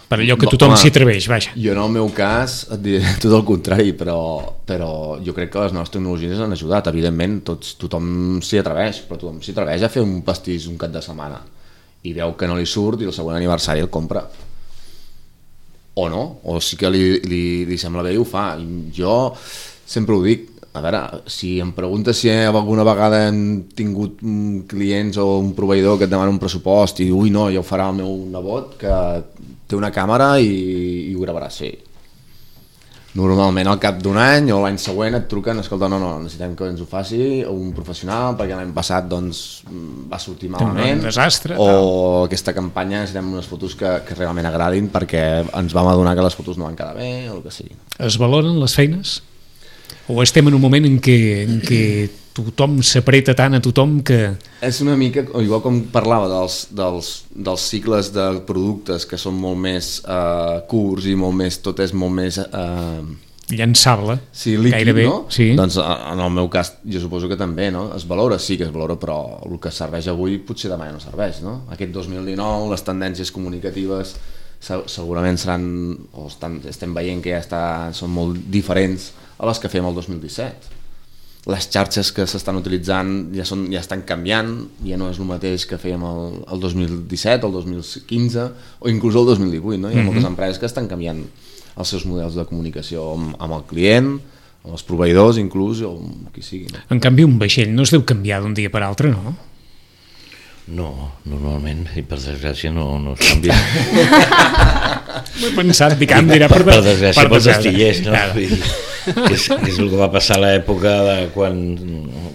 Speaker 2: Per allò que tothom s'hi atreveix, vaja.
Speaker 5: Jo en el meu cas et diré tot el contrari, però jo crec que les noves tecnologies han ajudat. Evidentment, tothom s'hi atreveix, però tothom s'hi atreveix a fer un pastís un cap de setmana i veu que no li surt i el següent aniversari el compra. O no, o sí que li sembla bé i ho fa. Jo sempre ho dic, a veure, si em preguntes si alguna vegada hem tingut clients o un proveïdor que et demana un pressupost i no, ja ho farà el meu nebot que té una càmera i ho gravarà, sí. Normalment al cap d'un any o l'any següent et truquen, escolta, no, necessitem que ens ho faci un professional perquè l'any passat doncs, va sortir malament,
Speaker 2: un desastre,
Speaker 5: o aquesta campanya necessitem unes fotos que realment agradin perquè ens vam adonar que les fotos no van quedar bé o el que sigui.
Speaker 2: Es valoren les feines? O estem en un moment en què tothom s'apreta tant a tothom que...
Speaker 5: És una mica, igual com parlava dels cicles de productes que són molt més curts i tot és molt més...
Speaker 2: llançable,
Speaker 5: sí, líquid,
Speaker 2: gairebé,
Speaker 5: no?
Speaker 2: Sí.
Speaker 5: Doncs en el meu cas jo suposo que també, no? Es valora, sí que es valora, però el que serveix avui potser demà no serveix, no? Aquest 2019, les tendències comunicatives segurament seran, o estem veient que són molt diferents a les que fèiem el 2017. Les xarxes que s'estan utilitzant ja estan canviant, ja no és el mateix que fèiem el 2017, el 2015 o inclús el 2018, no? Hi ha moltes empreses que estan canviant els seus models de comunicació amb el client, amb els proveïdors inclús, o amb qui sigui. No?
Speaker 2: En canvi, un vaixell no es deu canviar d'un dia per altre, no?
Speaker 4: No, normalment, i per desgràcia no es canvia.
Speaker 2: M'he pensat, dic, per
Speaker 4: desgràcia pels astillers, no? És el que va passar a l'època de quan,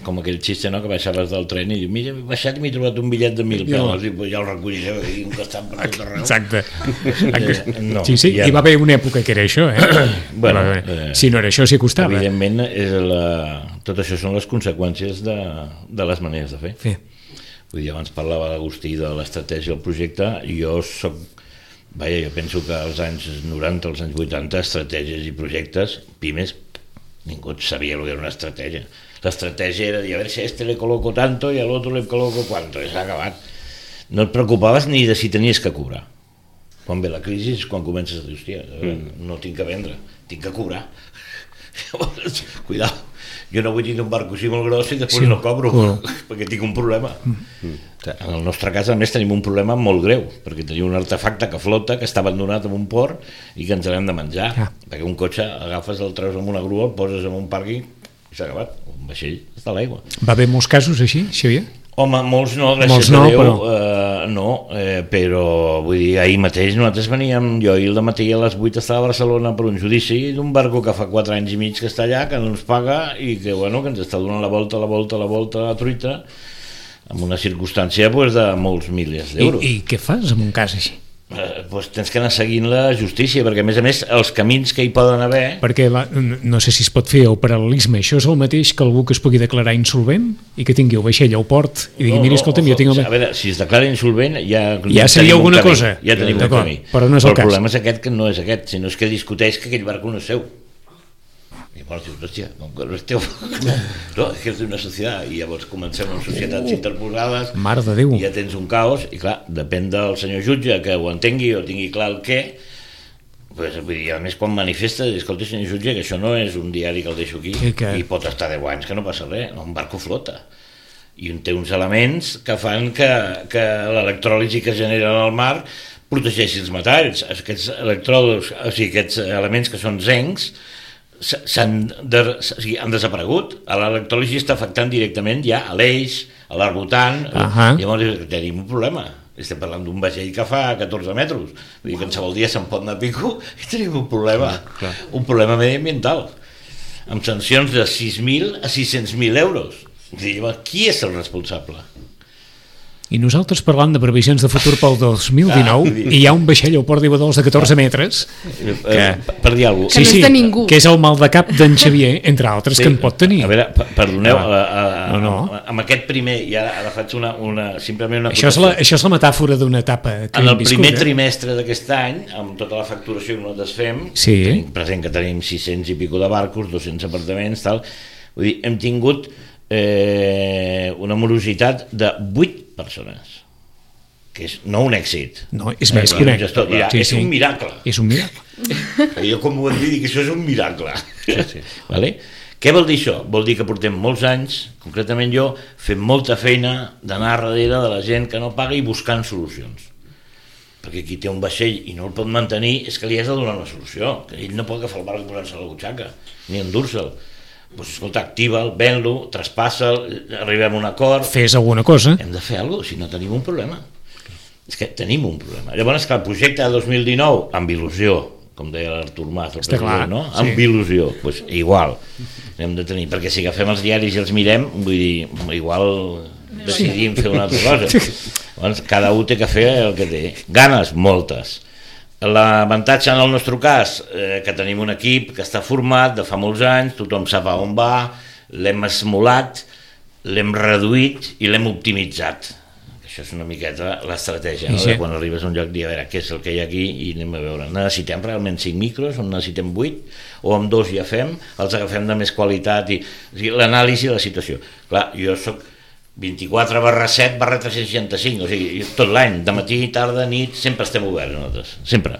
Speaker 4: com aquell xiste, no? Que baixaves del tren i m'he baixat i m'he trobat un bitllet de 1.000 peles i ja el recolliré i un que està per tot arreu.
Speaker 2: Exacte. Sí, hi va haver una època que era això, Bueno, si no era això, s'hi acostava.
Speaker 4: Evidentment, tot això són les conseqüències de les maneres de fer.
Speaker 2: Sí.
Speaker 4: Vull dir, abans parlava l'Agustí de l'estratègia del projecte, i jo penso que als anys 90, als anys 80, estratègies i projectes, pimes, ningú sabia el que era una estratègia. L'estratègia era dir, a veure si a este le coloco tanto i a l'altre le coloco cuanto, i s'ha acabat. no et preocupaves ni de si tenies que cobrar. Quan ve la crisi és quan comences a dir, hòstia, no tinc que vendre, tinc que cobrar. Llavors, cuidao, jo no vull tenir un barco així molt gros i després no cobro, perquè tinc un problema. En el nostre cas, a més, tenim un problema molt greu, perquè tenim un artefacte que flota, que està abandonat en un port i que ens l'hem de menjar, perquè un cotxe agafes, el treus amb una grua, el poses en un pàrquing i s'ha acabat, un vaixell està a l'aigua.
Speaker 2: Va haver molts casos així, Xavier?
Speaker 4: Home, molts no, gràcies a Déu, però vull dir, ahir mateix nosaltres veníem, jo ahir al matí a les 8 estava a Barcelona per un judici d'un barco que fa 4 anys i mig que està allà, que no ens paga i que, bueno, que ens està donant la volta a la truita, en una circumstància de molts milers d'euros.
Speaker 2: I què fas en un cas així?
Speaker 4: Tens que anar seguint la justícia, perquè a més els camins que hi poden haver...
Speaker 2: Perquè no sé si es pot fer el paral·lelisme, això és el mateix que algú que es pugui declarar insolvent i que tingui el vaixell al port i digui, mira, escolta'm, jo tinc el...
Speaker 4: A veure, si es declara insolvent ja
Speaker 2: seria alguna cosa.
Speaker 4: Ja tenim un camí.
Speaker 2: Però no és el cas.
Speaker 4: El problema és aquest, que no és aquest, sinó és que discuteix que aquell barco no és seu. I llavors dius, hòstia, com que no és teu, no, és que és d'una societat, i llavors comencem amb societats interposades,
Speaker 2: Mare de Déu.
Speaker 4: I ja tens un caos, i clar, depèn del senyor jutge que ho entengui o tingui clar el què, pues, vull dir, a més quan manifesta, escolta, senyor jutge, que això no és un diari que el deixo aquí, i pot estar 10 anys que no passa res, un barco flota, i té uns elements que fan que l'electròlisi que es genera en el mar protegeixi els metalls, aquests electrodos, o sigui, aquests elements que són zencs, han desaparegut. L'electròlisi està afectant directament ja a l'eix, a l'arbotant. Llavors tenim un problema, estem parlant d'un vaixell que fa 14 metres, vull dir que qualsevol dia se'n pot anar a pico i tenim un problema, un problema mediambiental amb sancions de 6.000 a 600.000 euros. Qui és el responsable?
Speaker 2: I nosaltres parlant de previsions de futur pel 2019 i hi ha un vaixell al port d'Ibadols de 14 metres
Speaker 4: per dir alguna cosa,
Speaker 3: que no és de ningú,
Speaker 2: que és el mal de cap d'en Xavier, entre altres, que en pot tenir.
Speaker 4: A veure, perdoneu, amb aquest primer, i ara faig simplement una
Speaker 2: acotació. Això és la metàfora d'una etapa que
Speaker 4: en el primer trimestre d'aquest any, amb tota la facturació que nosaltres fem, tenim present que tenim 600 i pico de barcos, 200 apartaments, tal, vull dir, hem tingut una morositat de 8 persones, que és no un èxit,
Speaker 2: no, és més que un èxit,
Speaker 4: és un miracle.
Speaker 2: És un miracle.
Speaker 4: Jo com ho hem dit, que això és un miracle. Vale? Què vol dir això? Vol dir que portem molts anys, concretament jo, fent molta feina d'anar darrere de la gent que no paga i buscant solucions. Perquè qui té un vaixell i no el pot mantenir és que li has de donar una solució, que ell no pot agafar el barc i posar-se a la butxaca, ni endur-se'l. Pues, escolta, activa'l, ven-lo, traspassa'l, arribem a un acord...
Speaker 2: Fes alguna cosa.
Speaker 4: Hem de fer alguna cosa, si no tenim un problema. És que tenim un problema. Llavors, que el projecte de 2019, amb il·lusió, com deia l'Artur Mas, el president, no? Amb il·lusió, pues, igual hem de tenir, perquè si agafem els diaris i els mirem, vull dir, igual decidim fer una altra cosa. Llavors, cada un té que fer el que té. Ganes, moltes. L'avantatge en el nostre cas, que tenim un equip que està format de fa molts anys, tothom sap a on va, l'hem esmolat, l'hem reduït i l'hem optimitzat. Això és una miqueta l'estratègia, no? Quan arribes a un lloc, dir, a veure, què és el que hi ha aquí i anem a veure. Necessitem realment 5 micros o necessitem 8? O amb 2 ja fem, els agafem de més qualitat, o sigui, l'anàlisi de la situació. Clar, jo soc 24/7/365, o sigui, tot l'any, de matí, tarda, nit, sempre estem oberts nosaltres, sempre.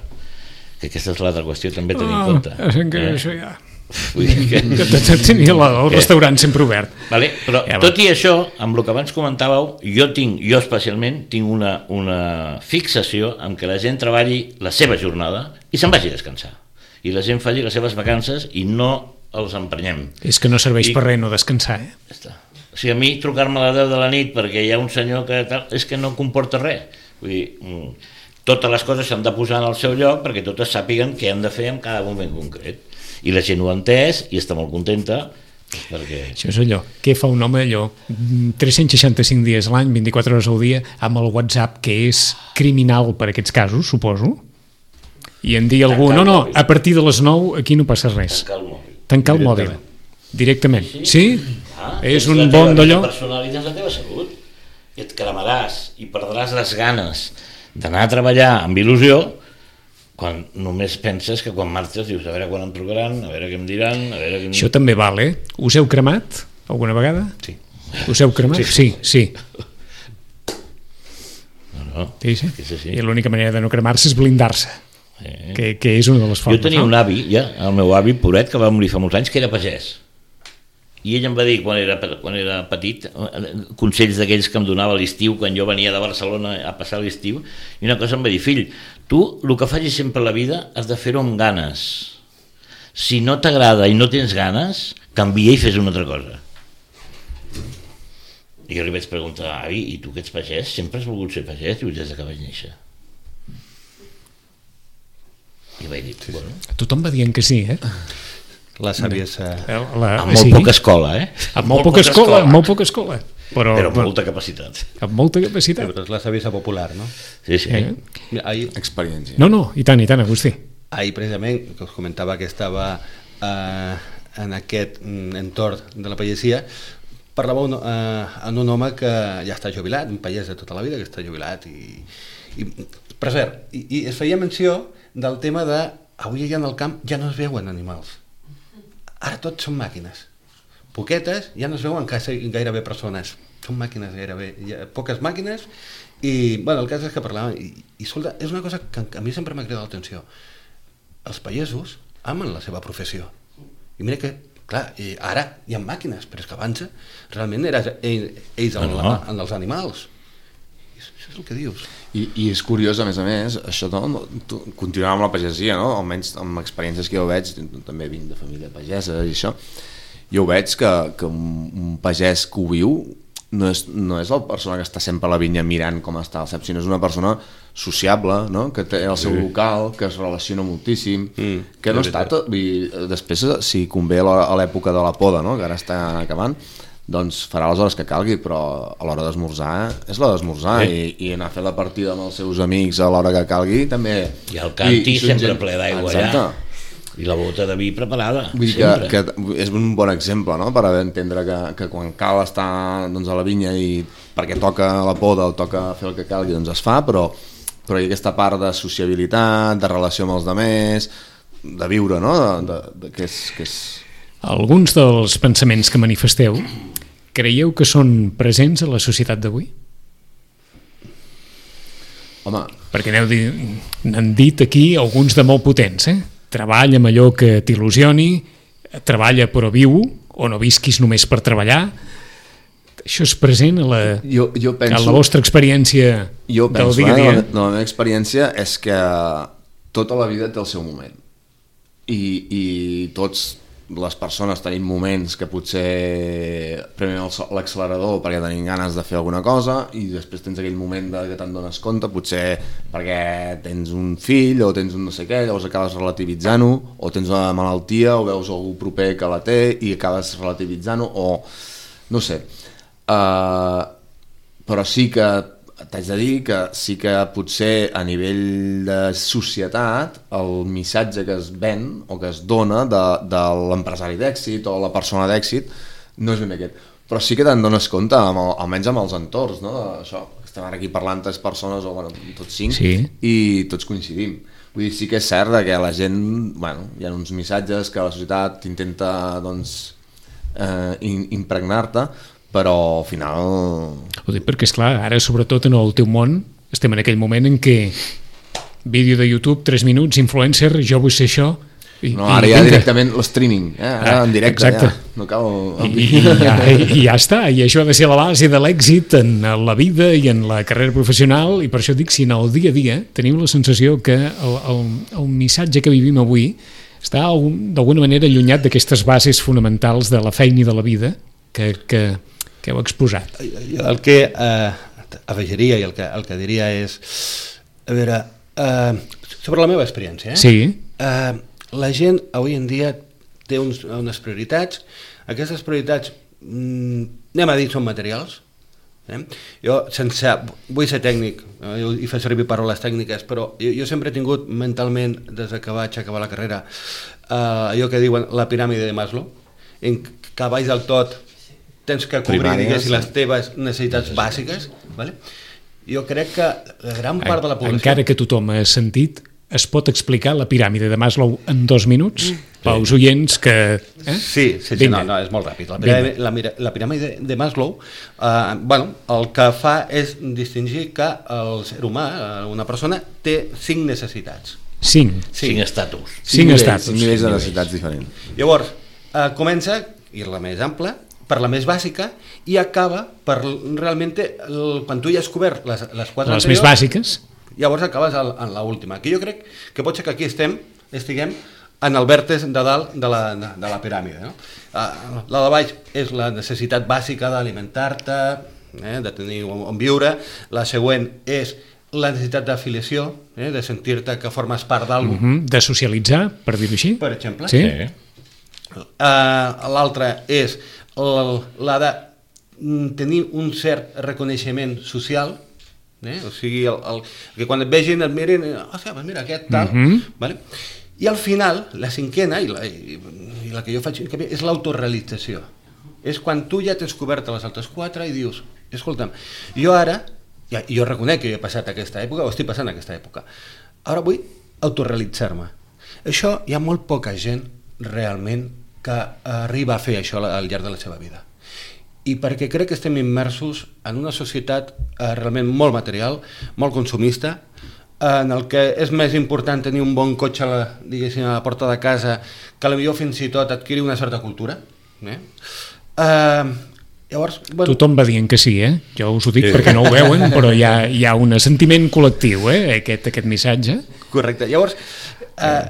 Speaker 4: Que aquesta és l'altra qüestió, també tenim en compte.
Speaker 2: Això ja... Que tenia el restaurant sempre obert.
Speaker 4: Vale? Però tot i això, amb el que abans comentàveu, jo especialment tinc una fixació en què la gent treballi la seva jornada i se'n vagi a descansar. I la gent faci les seves vacances i no els emprenyem.
Speaker 2: És que no serveix per res no descansar,
Speaker 4: Ja està. O sigui, a mi trucar-me a les 10 de la nit perquè hi ha un senyor que tal, és que no comporta res. Vull dir, totes les coses s'han de posar en el seu lloc perquè totes sàpiguen què han de fer en cada moment concret. I la gent ho ha entès i està molt contenta perquè...
Speaker 2: Això és allò, què fa un home allò 365 dies a l'any, 24 hores al dia, amb el WhatsApp, que és criminal per aquests casos, suposo, i en dir algú, no, a partir de les 9 aquí no passa res. Tancar el mòbil. Directament. Sí? És un bon d'allò.
Speaker 4: Personalitzes la teva salut i et cremaràs i perdràs les ganes d'anar a treballar amb il·lusió quan només penses que quan marxes dius a veure quan em trucaran, a veure què em diran, a veure què em...
Speaker 2: Això també val, Us heu cremat alguna vegada?
Speaker 4: Sí.
Speaker 2: Us heu cremat? Sí.
Speaker 4: No,
Speaker 2: I l'única manera de no cremar-se és blindar-se, que és una de les formes.
Speaker 4: Jo tenia un avi, el meu avi Poret, que va morir fa molts anys, que era pagès. I ell em va dir, quan era petit, consells d'aquells que em donava a l'estiu, quan jo venia de Barcelona a passar l'estiu, i una cosa em va dir, fill, tu el que facis sempre a la vida has de fer-ho amb ganes. Si no t'agrada i no tens ganes, canvia i fes una altra cosa. I jo li vaig preguntar, avi, i tu que ets pagès, sempre has volgut ser pagès? Diu, des que vaig néixer. I vaig dir, bueno...
Speaker 2: Tothom va dient que sí,
Speaker 4: La saviesa... Amb molt poca escola,
Speaker 2: Amb molt poca escola. Però
Speaker 4: amb molta capacitat.
Speaker 2: Amb molta capacitat.
Speaker 6: Però és la saviesa popular, no?
Speaker 4: Sí.
Speaker 5: Experiència.
Speaker 2: No, i tant, Agustí.
Speaker 6: Ahir, precisament, que us comentava que estava en aquest entorn de la pagesia, parlava amb un home que ja està jubilat, un pagès de tota la vida que està jubilat. Per cert, i es feia menció del tema de avui allà en el camp ja no es veuen animals. Ara tots són màquines. Poquetes, ja no es veuen gairebé persones. Són màquines gairebé, poques màquines. I, bueno, el cas és que parlàvem, i escolta, és una cosa que a mi sempre m'ha cridat l'atenció. Els pagesos amen la seva professió. I mira que, clar, ara hi ha màquines, però és que abans realment eren ells en els animals. Això és el que dius.
Speaker 5: I és curiós, a més, això continuant amb la pagesia, no? Almenys amb experiències que jo veig, també vinc de família pagesa i això, jo veig que un pagès que ho viu no és la persona que està sempre a la vinya mirant com està el cep, sinó és una persona sociable, no? Que té el seu local, que es relaciona moltíssim, que no està tot... Després, si convé a l'època de la poda, no? Que ara està acabant, doncs farà les hores que calgui, però a l'hora d'esmorzar és l'hora d'esmorzar, i anar a fer la partida amb els seus amics a l'hora que calgui també...
Speaker 4: I el canti sempre ple d'aigua allà, i la bota de vi preparada.
Speaker 5: Vull dir que és un bon exemple, no? Per entendre que quan cal estar a la vinya i perquè toca la poda o toca fer el que calgui, doncs es fa, però hi ha aquesta part de sociabilitat, de relació amb els altres, de viure, no? Que és...
Speaker 2: Alguns dels pensaments que manifesteu creieu que són presents a la societat d'avui?
Speaker 5: Home...
Speaker 2: Perquè n'han dit aquí alguns de molt potents, Treballa amb allò que t'il·lusioni, treballa però viu, o no visquis només per treballar. Això és present a la vostra experiència del dia a dia?
Speaker 5: La meva experiència és que tota la vida té el seu moment. I tots les persones tenim moments que potser premem l'accelerador perquè tenim ganes de fer alguna cosa, i després tens aquell moment que te'n dones compte, potser perquè tens un fill o tens un no sé què, llavors acabes relativitzant-ho, o tens una malaltia o veus algú proper que la té i acabes relativitzant-ho, o no sé. Però sí que t'haig de dir que sí que potser a nivell de societat el missatge que es ven o que es dona de l'empresari d'èxit o la persona d'èxit no és ben aquest, però sí que te'n dones compte, almenys amb els entorns, no? Això, estem ara aquí parlant 3 persones o tots 5,
Speaker 2: sí.
Speaker 5: I tots coincidim. Vull dir, sí que és cert que la gent, hi ha uns missatges que la societat intenta impregnar-te, però al final...
Speaker 2: Ho dic perquè, esclar, ara sobretot en el teu món estem en aquell moment en què vídeo de YouTube, 3 minuts, influencer, jo vull ser això...
Speaker 5: Ara ja directament l'streaming, ara en directe,
Speaker 2: exacte.
Speaker 5: Ja, no cal...
Speaker 2: I ja està, i això ha de ser la base de l'èxit en la vida i en la carrera professional, i per això dic, si en el dia a dia tenim la sensació que el missatge que vivim avui està d'alguna manera allunyat d'aquestes bases fonamentals de la feina i de la vida que heu exposat.
Speaker 6: El que afegiria i el que diria és, a veure, sobre la meva experiència,
Speaker 2: Sí.
Speaker 6: La gent avui en dia té unes prioritats. Aquestes prioritats, anem a dir, són materials. Jo vull ser tècnic i fer servir paraules tècniques, però jo sempre he tingut mentalment, des que vaig acabar la carrera, allò que diuen la piràmide de Maslow, en què baix del tot tens que cobrir, diguéssim, les teves necessitats bàsiques, vale? Jo crec que la gran part de la població...
Speaker 2: Encara que tothom ha sentit es pot explicar la piràmide de Maslow en 2 minuts? Pels oients que...
Speaker 6: Sí, no, és molt ràpid. La piràmide de Maslow, el que fa és distingir que el ser humà, una persona, té 5 necessitats.
Speaker 2: 5
Speaker 4: estatus.
Speaker 2: 5 estatus.
Speaker 5: 5 nivells de necessitats diferents.
Speaker 6: Llavors, comença, i és la més ampla, per la més bàsica, i acaba per realment, quan tu ja has cobert les 4 anteriors...
Speaker 2: Les més bàsiques.
Speaker 6: Llavors acabes en l'última, que jo crec que pot ser que aquí estiguem en el vèrtex de dalt de la piràmide. No? La de baix és la necessitat bàsica d'alimentar-te, de tenir on viure. La següent és la necessitat d'afiliació, de sentir-te que formes part d'alguna cosa.
Speaker 2: De socialitzar, per dir-ho així.
Speaker 6: Per exemple.
Speaker 2: Sí.
Speaker 6: L'altra és la de tenir un cert reconeixement social, o sigui, que quan et vegin et mirin, mira aquest tal, vale? I al final, la cinquena, i la que jo faig és l'autorealització. És quan tu ja t'has cobert les altres 4 i dius, escolta'm, jo ara, jo reconec que jo he passat aquesta època, o estic passant aquesta època, ara vull autorrealitzar-me. Això hi ha molt poca gent realment que arriba a fer això al llarg de la seva vida. I perquè crec que estem immersos en una societat realment molt material, molt consumista, en el que és més important tenir un bon cotxe a la porta de casa que potser fins i tot adquirir una certa cultura. Llavors,
Speaker 2: tothom va dient que sí, jo us ho dic perquè no ho veuen, però hi ha un sentiment col·lectiu, aquest missatge.
Speaker 6: Correcte. Llavors,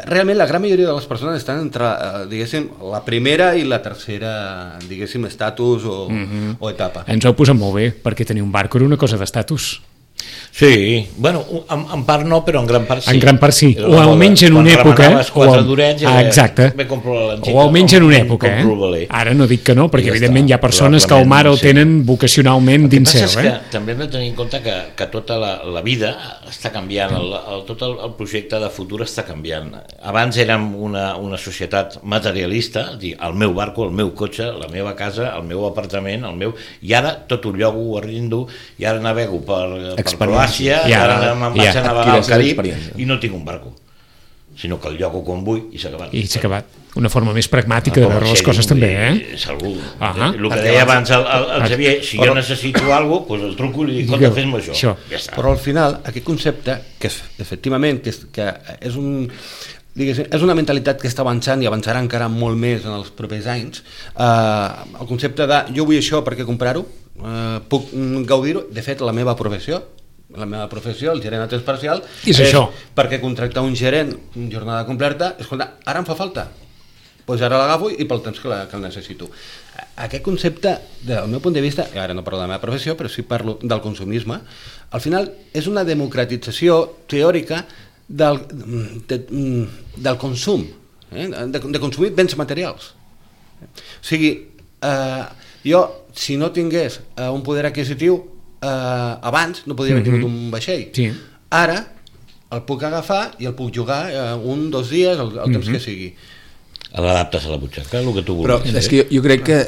Speaker 6: realment la gran majoria de les persones estan entre, diguéssim, la primera i la tercera, diguéssim, estatus o etapa.
Speaker 2: Ens ho heu posat molt bé, perquè tenir un barco era una cosa d'estatus.
Speaker 4: Sí, bueno, en part no, però en gran part sí.
Speaker 2: En gran part sí, o almenys en una època... Exacte, o almenys en una època, Ara no dic que no, perquè evidentment hi ha persones que el mar el tenen vocacionalment dins seu.
Speaker 4: El que passa és que també hem de tenir en compte que tota la vida està canviant, tot el projecte de futur està canviant. Abans érem una societat materialista, el meu barco, el meu cotxe, la meva casa, el meu apartament, i ara tot ho llogo, ho arrindo, i ara navego per Croàcia, ara me'n vaig a navegar al Carib i no tinc un barco, sinó que el llogo quan vull i s'ha acabat.
Speaker 2: I s'ha acabat. Una forma més pràctica de veure les coses també,
Speaker 4: El que deia abans el Xavier, si jo necessito alguna cosa, el truco i li dic, fes-me això.
Speaker 6: Però al final, aquest concepte, que efectivament que és una mentalitat que està avançant i avançarà encara molt més en els propers anys, el concepte de jo vull això perquè comprar-ho, puc gaudir-ho. De fet, la meva professió, el gerent a temps parcial,
Speaker 2: és això.
Speaker 6: Perquè contractar un gerent en jornada completa, escolta, ara em fa falta, doncs ara l'agafo i pel temps que el necessito. Aquest concepte, del meu punt de vista, i ara no parlo de la meva professió, però sí parlo del consumisme, al final és una democratització teòrica del consum, de consumir béns materials. O sigui, jo, si no tingués un poder adquisitiu, abans no podria haver tingut un vaixell. Ara el puc agafar i el puc jugar 1 o 2 dies, el temps que sigui.
Speaker 4: L'adaptes a la butxaca, el que tu vulguis.
Speaker 5: Però és que jo crec que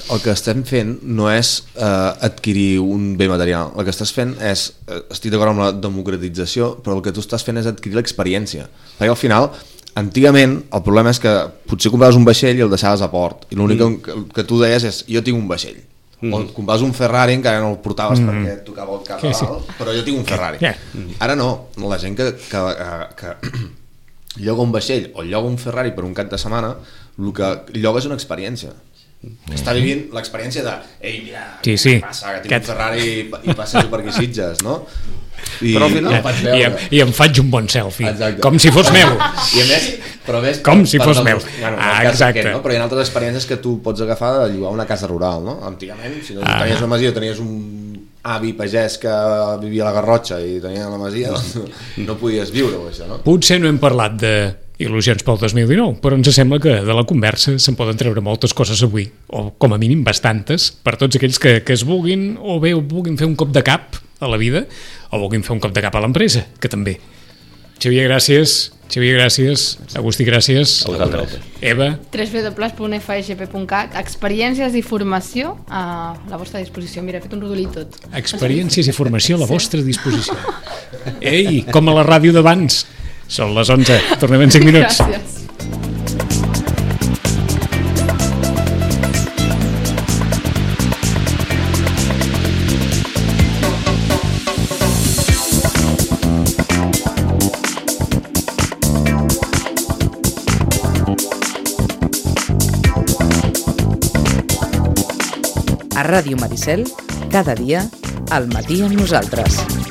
Speaker 5: el que estem fent no és adquirir un bé material. El que estàs fent és, estic d'acord amb la democratització, però el que tu estàs fent és adquirir l'experiència. Perquè al final, antigament, el problema és que potser compraves un vaixell i el deixaves a port, i l'únic que tu deies és jo tinc un vaixell. O compraves un Ferrari, encara no el portaves perquè et tocava el cap a dalt, però jo tinc un Ferrari. Ara no, la gent que lloga un vaixell o lloga un Ferrari per un cap de setmana, el que lloga és una experiència. Està vivint l'experiència de ei, mira, què passa, que tinc un Ferrari i passejo per aquí Sitges, no?
Speaker 6: Però al final
Speaker 2: i em faig un bon selfie. Com si fos meu.
Speaker 5: I a més, però ves,
Speaker 2: com si fos meu. Exacte.
Speaker 5: Però hi ha altres experiències que tu pots agafar de llogar una casa rural, no? Antigament, si no tenies una masia, tenies un avi pagès que vivia a la Garrotxa i tenia la masia, no podies viure-ho, això, no?
Speaker 2: Potser no hem parlat de il·lusions pel 2019, però ens sembla que de la conversa se'n poden treure moltes coses avui, o com a mínim bastantes, per tots aquells que es vulguin, o bé vulguin fer un cop de cap a la vida, o vulguin fer un cop de cap a l'empresa, que també. Xavier, gràcies. Agustí, gràcies. Eva.
Speaker 3: www.fsp.cat. Experiències i formació a la vostra disposició. Mira, he fet un rodolí tot.
Speaker 2: Experiències i formació a la vostra disposició. Ei, com a la ràdio d'abans. Són les 11. Tornem en 5 minuts.
Speaker 3: Gràcies.
Speaker 1: A Ràdio Maricel, cada dia, al matí amb nosaltres.